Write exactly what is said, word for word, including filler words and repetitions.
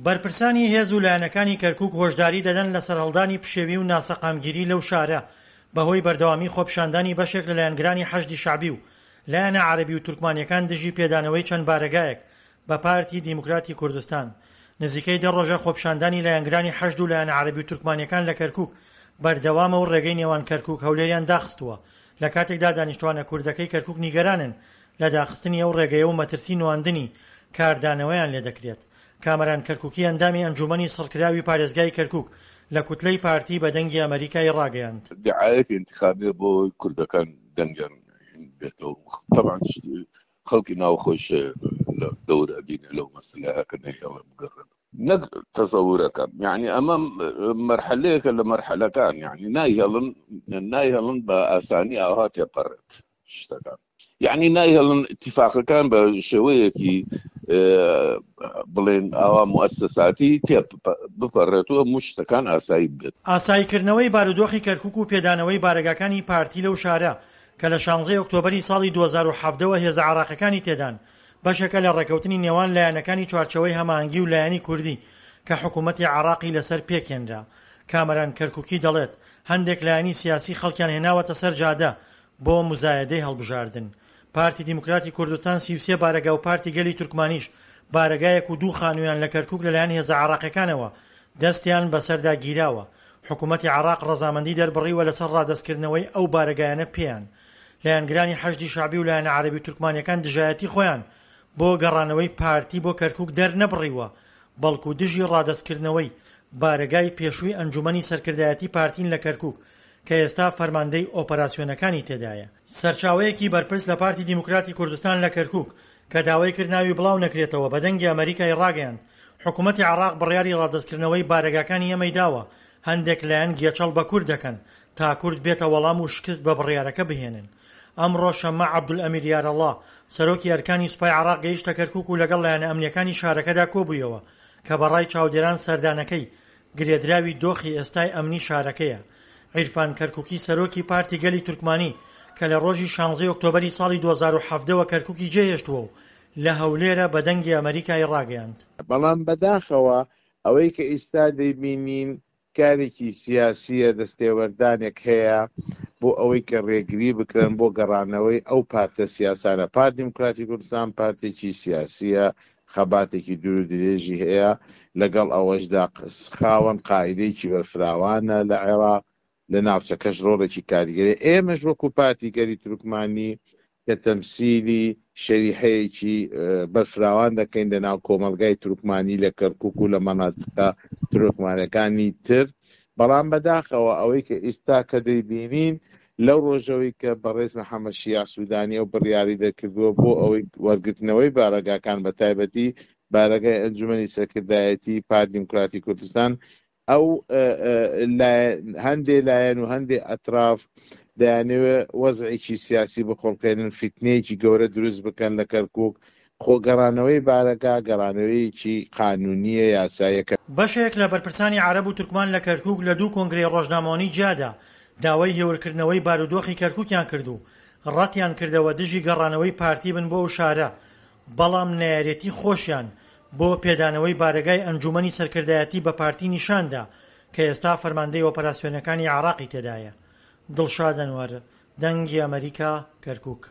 بەرپرسانی هێز و لایەنەکانی کەرکوک هۆشداری دەدەن لە سەرهەڵدانی پشێوی و ناسەقامگیری لەو شارە بەهۆی بەردەوامی خۆپیشاندانی بەشێک لە لایەنگرانی حەشدی شەعبی و لایەنە عەرەبی و تورکمانیەکان دژی پێدانەوەی چەند بارەگایەک بە پارتی دیموکراتی کوردستان. نزیکەی دە ڕۆژە خۆپیشاندانی لایەنگرانی حەشد و لایەنە عەرەبی و تورکمانیەکان لە کەرکوک بەردەوامە و ڕێگەی نێوان کەرکوک هەولێریان داخستووە، لە کاتێکدا دانیشتوانە کوردەکەی کەرکوک نیگەرانن لە داخستنی ئەو ڕێگەیە و مەترسی نواندنی کاردانەوەیان لێدەکرێت. کامەران کەرکوکی ئەندامی ئەنجومەنی سڕکراوی پارێزگای کەرکوک لە کوتلەی پارتی بە دەنگی ئەمەریکای ڕاگەیاند. دعایەکی ئینتخابیە بۆ کوردەکان دەنگیان بێتەوە. تەبعەن خەڵکی ناوخۆش لە دەور ئەبینێ لەو مەسەلەیە کە نەیهێڵێ بگەڕێن. نەک تەسەورەکەم، یعنی ئەمە مەرحەلەیەکە لە مەرحەلەکان، یعنی نایهێڵن نایهێڵن بە ئاسانی ئاوها تێپەڕێت شتەکان، یعنی نایهێڵن ئیتیفاقەکان بە شێوەیەکی بڵێن ئاوا موئەسەساتی تێ بپەڕێت و هەموو شتەکان ئاسایی بێت. ئاساییکردنەوەی بارودۆخی کەرکوک و پێدانەوەی بارەگاکانی پارتی لەو شارە کە لە شانزەی ئۆکتۆبەری ساڵی دوو هەزار و حەڤدە وە هێزە عێراقیەکانی تێدان، بەشێکە لە ڕێکەوتنی نێوان لایەنەکانی چوارچێوەی هەماهەنگی و لایەنی کوردی کە حکوومەتی عێراقی لەسەر پێکهێنرا. کامەران کەرکوکی دەڵێت، هەندێک لایەنی سیاسی خەڵکیان هێناوەتە سەر جادە بۆ مزایەدەی هەڵبژاردن. پارتی دیموکراتی کوردستان سی و سێ بارەگا و پارتی گەلی تورکمانیش بارەگایەک و دوو خانوویان لە کەرکوک لەلایەن هێزە عێراقیەکانەوە دەستیان بەسەردا گیراوە. حکوومەتی عێراق ڕەزامەندی دەربڕیوە لەسەر ڕادەستکردنەوەی ئەو بارەگایانە پێیان. لایەنگرانی حەشدی شەعبی و لایەنە عەرەبی و تورکمانیەکان دژایەتی خۆیان بۆ گەڕانەوەی پارتی بۆ کەرکوک دەرنەبڕیوە، بەڵکو دژی ڕادەستکردنەوەی بارەگای پێشووی ئەنجومەنی سەرکردایەتی پارتین لە کەرکوک کە ئێستا فەرماندەی ئۆپەراسیۆنەکانی تێدایە. سەرچاوەیەکی بەرپرس لە پارتی دیموکراتی کوردستان لە کەرکوک کە داوای کرد ناوی بڵاو نەکرێتەوە بە دەنگی ئەمەریکای ڕاگەیاند، حکوومەتی عێراق بڕیاری ڕادەستکردنەوەی بارەگاکانی ئێمەی داوە، هەندێک لایەن گێچەڵ بە کورد دەکەن تا کورد بێتە وەڵام و شکست بە بڕیارەکە بهێنن. ئەمڕۆ شەممە عەبدولئەمیر یارەڵا سەرۆکی ئەرکانی سوپای عێراق گەیشتە کەرکوک و لەگەڵ لایەنە ئەمنیەکانی شارەکەدا کۆبوویەوە کە بەڕای چاودێران سەردانەکەی گرێدراوی دۆخی ئێستای ئەمنی شارەکەیە. عیرفان کەرکوکی سەرۆکی پارتی گەلی تورکمانی کە لە ڕۆژی شانزەی ئۆکتۆبەری ساڵی دوو هەزار و حەڤدە وە کەرکوکی جێهێشتووە و لە هەولێرە بە دەنگی ئەمەریکای ڕاگەیاند. بەڵام بەداخەوە ئەوەی کە ئیستا دەیبینین کارێکی سیاسییە، دەستێوەردانێک هەیە بۆ ئەوەی کە ڕێگری بکرن بۆ گەڕانەوەی ئەو پارتە سیاسانە. پارتی دیموکراتی کوردستان پارتێکی سیاسییە، خەباتێکی دوور و درێژی هەیە، لەگەڵ ئەوەشدا خاوەن قاعیدەیەکی بەرفراوانە لە عێراق، لە ناوچەکەش ڕۆڵێکی کاریگەری. ئێمەش وەکو پارتی گەلی تورکمانی کە تەمسیلی شەریحەیەکی بەرفراوان دەکەین لە ناو کۆمەڵگای تورکمانی لە کەرکوک و لە مەناتقە تورکمانەکانی تر، بەڵام بەداخەوە ئەوەی کە ئیستا کە دەیبینین لەو ڕۆژەوەی کە بەڕێز محەممەد شیاع سوودانی ئەو بڕیاری دەرکردووە بۆ ئەوەی وەرگرتنەوەی بارەگاکان بە تایبەتی بارەگای ئەنجومەنی سەرکردایەتی پارتی دیموکراتی کوردستان، ئەو هەندێ لایەن و هەندێ ئەتراف دەیانەوێ وەزعێکی سیاسی بخوڵقێنن، فیتنەیەکی گەورە دروست بکەن لە کەرکوک. خۆگەڕانەوەی بارەگا گەڕانەوەیەکی قانونیە، یاساییەکە. بەشێک لە بەرپرسانی عەرەب و تورکمان لە کەرکوک لە دوو کۆنگرەی ڕۆژنامەوانی جیادا داوای هێورکردنەوەی بارودۆخی کەرکوکیان کرد و ڕەتیان کردەوە دژی گەڕانەوەی پارتی بن بۆ ئەو شارە، بەڵام نەیارێتی خۆشیان بۆ پێدانەوەی بارەگای ئەنجومەنی سەرکردایەتی بە پارتی نیشاندا کە ئێستا فەرماندەی ئۆپەراسیۆنەکانی عێراقی تێدایە. دڵشاد ئەنوەر، دەنگی ئەمەریکا، کەرکوک.